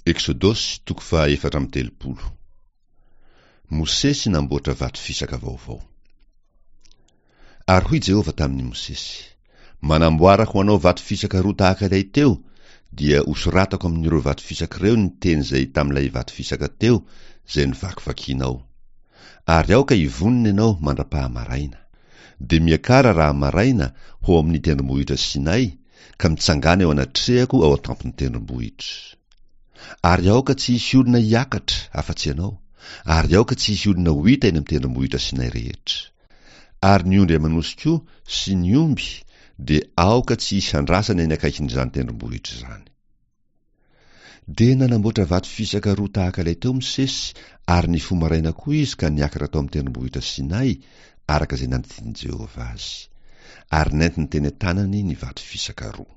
Eksodosy toko faha 34. Mosesy namboatra vato fisaka vaovao. Ary hoy Jehovah tamin'i Mosesy, Manamboara ho anao vato fisaka roa tahaka ilay teo, dia hosoratako amin'ireo vato fisaka ireo ny teny izay tamin'ilay vato fisaka teo izay novakivakianao. Ary aoka hivonona ianao mandra-pahamaraina. Dia miakara raha maraina ho ao amin'ny tendrombohitra Sinay, ka mitsangàna eo anatrehako ao an-tampon'ny tendrombohitra. Ary aoka tsy hisy olona hiakatra afa-tsy ianao, ary aoka tsy hisy olona ho hita eny amin'ny tendrombohitra Sinay rehetra. Ary ny ondry aman'osy koa sy ny omby dia aoka tsy hisy handrasana eny akaikin'izany tendrombohitra izany. Dia nanamboatra vato fisaka roa tahaka ilay teo Mosesy, ary nifoha maraina koa izy ka niakatra tao amin'ny tendrombohitra Sinay, araka izay nandidian'i Jehovah azy. Ary nentiny teny an-tanany ny vato fisaka roa.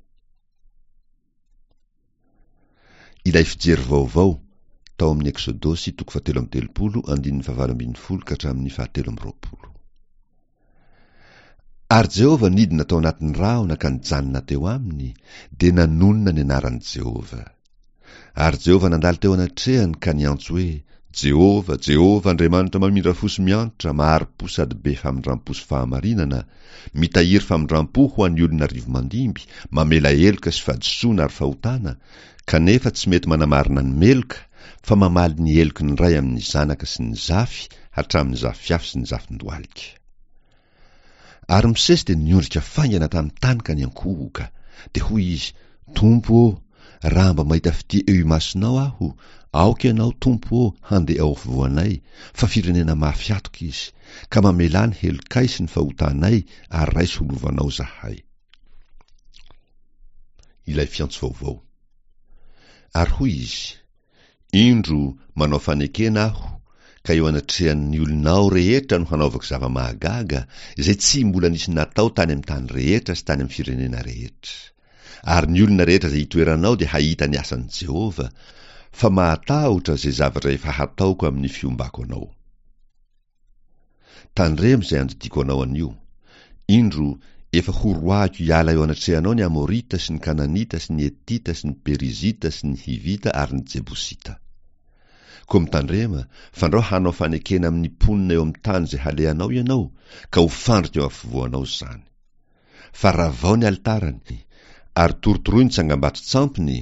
Ilay fijery vaovao, tao amin'ny Eksodosy toko fahatelo amby 30 andininy fahavalo ambin'ny folo ka hatramin'ny fahatelo amby 20. Ary Jehovah nidina tao anatin'ny rahona ka nijanona teo aminy, dia nanonona ny anaran'i Jehovah. Ary Jehovah nandalo teo anatrehany ka niantso hoe, Jehovah, Jehovah, Andriamanitra mamindra fo sy miantra, mahari-po sady be famindram-po sy fahamarinana, mitahiry famindram-po ho an'ny olona arivo mandimby, mamela heloka sy fahadisoana ary fahotana, kanefa tsy mety manamarina ny meloka, fa mamaly ny heloky ny ray amin'ny zanaka sy ny zafy hatramin'ny zafiafy sy ny zafin-dohalika. Ary Mosesy dia niondrika faingana tamin'ny tany ka niankohoka. Dia hoy izy, Tompo ô, raha mba mahita fitia eo imasonao aho, aoka Ianao, Tompo ô, handeha ao afovoanay, fa firenena mafy hatoka izy, ka mamelà ny helokay sy ny fahotanay ary raiso ho lovanao izahay. Ilay fiantso vaovao. Ary hoy izy, Indro, manao fanekena aho, ka eo anatrehan'ny olonao rehetra no hanaovako zava-mahagaga, izay tsy mbola nisy natao tany amin'ny tany rehetra sy tany amin'ny firenena rehetra. Ary ny olona rehetra izay itoeranao dia hahita ny asan'i Jehovah, fa mahatahotra izay zavatra efa hataoko amin'ny fiombako anao. Tandremo izay andidiako anao anio. Indro, efa horoahiko hiala eo anatrehanao ny Amorita sy ny Kananita sy ny Hetita sy ny Perizita sy ny Hivita ary ny Jebosita. Koa mitandrema, fandrao hanao fanekena amin'ny mponina eo amin'ny tany izay halehanao ianao, ka ho fandrika eo afovoanao izany. Fa ravao ny alitarany, ary torotoroy ny tsangambato-tsampiny,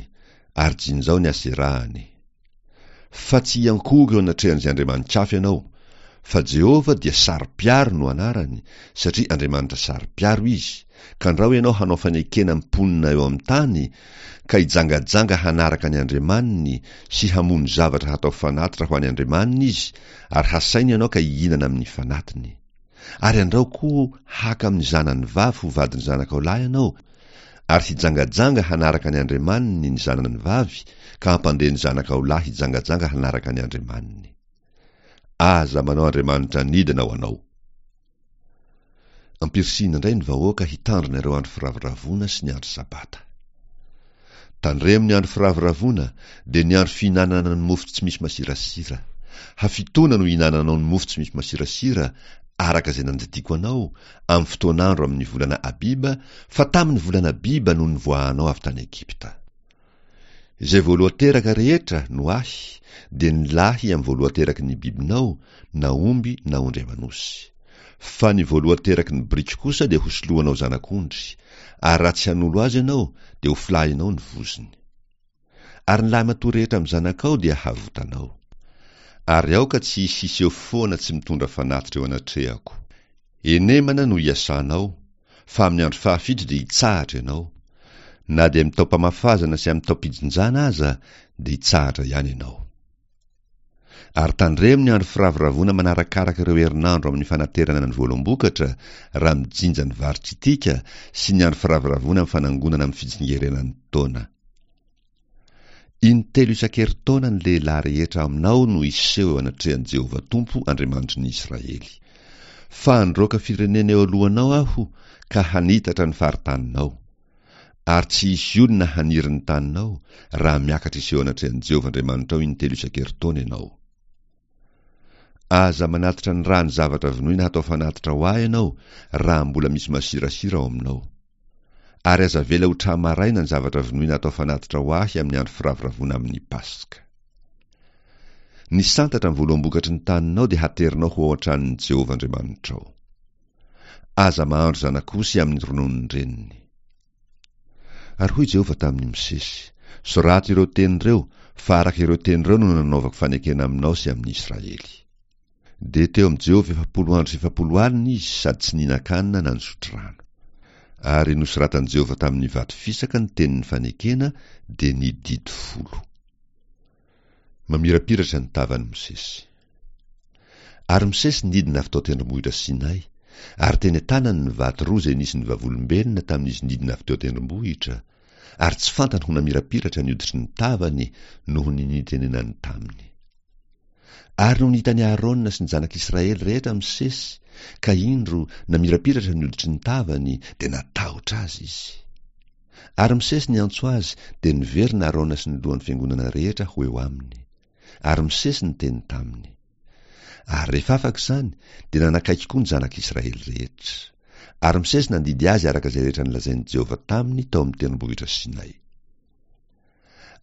ary jinjao ny aserahany. Fa tsy hiankohoka eo anatrehan'izay andriamani-kafa ianao, fa Jehovah dia saro-piaro no anarany, satria Andriamanitra saro-piaro izy, ka ndrao ianao hanao fanekena amin'ny mponina eo amin'ny tany, ka hijangajanga hanaraka ny andriamaniny sy hamono zavatra hatao fanatitra ho an'ny andriamaniny izy, ary hasainy ianao ka hihinana amin'ny fanatiny. Ary andrao koa haka amin'ny zanany vavy ho vadin'ny zanakao lahy ianao, ary hijangajanga hanaraka ny andriamaniny ny zanany vavy, ka hampandeha ny zanakao lahy hijangajanga hanaraka ny andriamaniny. Aza manao andriamanitra anidina ho anao. Ampirisihina indray ny vahoaka hitandrina ireo andro firavoravoana sy ny andro sabata. Tandremo ny andro firavoravoana, dia ny andro fihinanana ny mofo tsy misy masirasira. Hafitoana no hihinananao ny mofo tsy misy masirasira, araka izay nandidiako anao, amin'ny fotoan'andro amin'ny volana Abiba, fa tamin'ny volana Abiba no nivoahanao avy tany Egypta. Izay voalohan-teraka rehetra no ahy, dia ny lahy amin'ny voalohan-teraky ny bibinao, na omby na ondry aman'osy. Fa ny voalohan-teraky ny biriky kosa dia hosoloanao zanak'ondry, ary raha tsy hanolo azy ianao, dia hofilahinao ny vozony. Ary ny lahimatoa rehetra amin'ny zanakao dia havotanao. Ary aoka tsy hisy hiseho foana tsy mitondra fanatitra eo anatrehako. Henemana no hiasanao, fa amin'ny andro fahafito dia hitsahatra ianao. Na dia amin'ny taom-pamafazana sy amin'ny taom-pijinjana aza dia hitsahatra ihany ianao. Ary tandremo ny andro firavoravoana manarakaraka ireo herinandro amin'ny fanaterana ny voaloham-bokatra raha mijinja ny vary tritika sy ny andro firavoravoana amin'ny fanangonana amin'ny fitsingerenan'ny taona. Intelo isan-kerintaona ny lehilahy rehetra aminao no hiseho eo anatrehan'i Jehovah Tompo Andriamanitry ny Israely. Fa handroaka firenena eo alohanao aho ka hanitatra ny faritaninao. Ary tsy hisy olona haniry ny taninao raha miakatra hiseho anatrehan'i Jehovah Andriamanitrao intelo isan-kerintaona ianao. Aza manatitra ny ràn'ny zavatra vonoina hatao fanatitra ho ahy ianao raha mbola misy masirasira ao aminao. Ary aza avela ho tra-maraina ny zavatra vonoina atao fanatitra ho ahy amin'ny andro firavoravoana amin'ny Paska. Ny santatra amin'ny voaloham-bokatry ny taninao dia haterinao ho ao an-tranon'i Jehovah Andriamanitrao. Aza mahandro zanak'osy amin'ny rononon-dreniny. Ary hoy Jehovah tamin'i Mosesy, Sorato ireo teny ireo, fa araka ireo teny ireo no nanaovako fanekena aminao sy amin'i Israely. Dia teo amin'i Jehovah 40 andro sy 40 alina izy sady tsy nihinan-kanina na nisotro rano. Ary nosoratan'i Jehovah tamin'ny vato fisaka ny tenin'ny fanekena, dia ny didy folo. Mamirapiratra ny tavan'i Mosesy. Ary Mosesy nidina avy tao an-tendrombohitra Sinay, ary teny an-tanany ny vato roa izay nisy ny vavolombelona tamin'izy nidina avy teo an-tendrombohitra, ary tsy fantany ho namirapiratra ny hoditry ny tavany noho ny nitenenany taminy. Ary nony hitan'i Aharôna sy ny zanak'Israely rehetra Mosesy, ka indro, namirapiratra ny hoditry ny tavany, dia natahotra azy izy. Ary Mosesy niantso azy, dia niverina Aharôna sy ny lohan'ny fiangonana rehetra ho eo aminy. Ary Mosesy niteny taminy. Ary rehefa afaka izany, dia nanakaiky koa ny zanak'Israely rehetra. Ary Mosesy nandidy azy araka izay rehetra nolazain'i Jehovah taminy tao amin'ny tendrombohitra Sinay.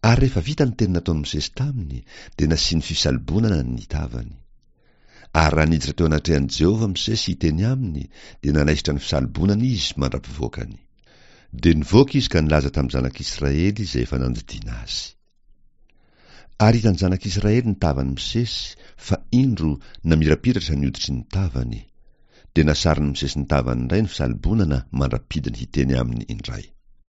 Ary rehefa vita ny teny nataon'i Mosesy taminy, dia nasiany fisalobonana ny tavany. Ary raha niditra teo anatrehan'i Jehovah Mosesy hiteny aminy, dia nanaisotra ny fisalobonana izy mandra-pivoakany. Dia nivoaka izy ka nilaza tamin'ny zanak'Israely izay efa nandidiana azy. Ary hitan'ny zanak'Israely ny tavan'i Mosesy, fa indro, namirapiratra ny hoditry ny tavany. Dia nasarin'i Mosesy ny tavany indray ny fisalobonana mandra-pidiny hiteny aminy indray.